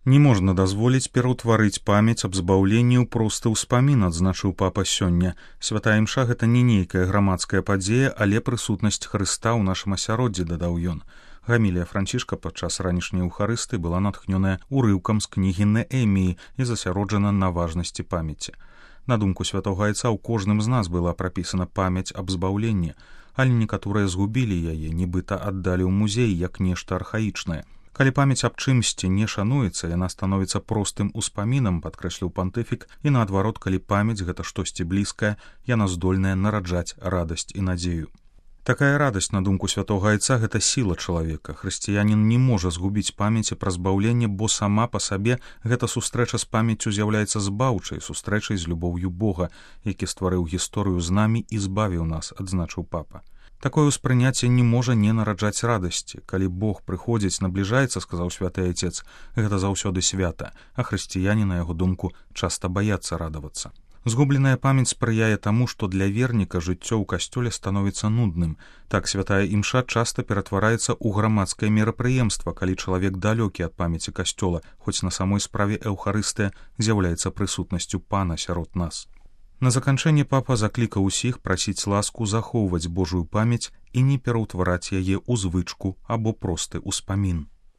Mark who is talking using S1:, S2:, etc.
S1: Не можна дазволіць пераўтварыць памяць аб збаўленні ў просты ўспамін, адзначыў папа сёння. Святая імша — гэта не нейкая грамадская падзея, але прысутнасць Хрыста ў нашым асяроддзі, дадаў ён. Гамілія Францішка падчас ранішняй еўхарыстыі была натхнёная урыўкам з кнігі Неэміі і засяроджана на важнасці памяці. На думку святога айца, у кожным з нас была прапісана памяць аб збаўленні, але некаторыя згубілі яе, нібыта аддалі ў музей як нешта архаічнае. Калі памяць аб чымсьці не шануецца, яна становіцца простым успамінам, падкрэсліў пантыфік, і наадварот, калі памяць — гэта штосьці блізкае, яна здольная нараджаць радасць і надзею. Такая радасць, на думку святога айца, гэта сіла чалавека. Хрысціянін не можа згубіць памяці пра збаўленне, бо сама па сабе гэта сустрэча з памяццю з'яўляецца збаўчай, сустрэчай з любоўю Бога, які стварыў гісторыю з намі і збавіў нас, адзначыў папа. Такое ўспрыняцце не можа не нараджаць радасці. Калі Бог прыходзіць, набліжаецца, сказаў святы айцец, гэта заўсёды свята, а хрысціяне, на яго думку, часта баяцца радавацца. Згубленая памяць спрыяе таму, што для верніка жыццё ў касцёле становіцца нудным. Так святая імша часта ператвараецца ў грамадскае мерапрыемства, калі чалавек далёкі ад памяці касцёла, хоць на самой справе эўхарыстыя з'яўляецца прысутнасцю Пана сярод нас. На заканчэнне папа заклікаў усіх прасіць ласку захоўваць Божую памяць і не пераўтвараць яе ў звычку або просты ўспамін.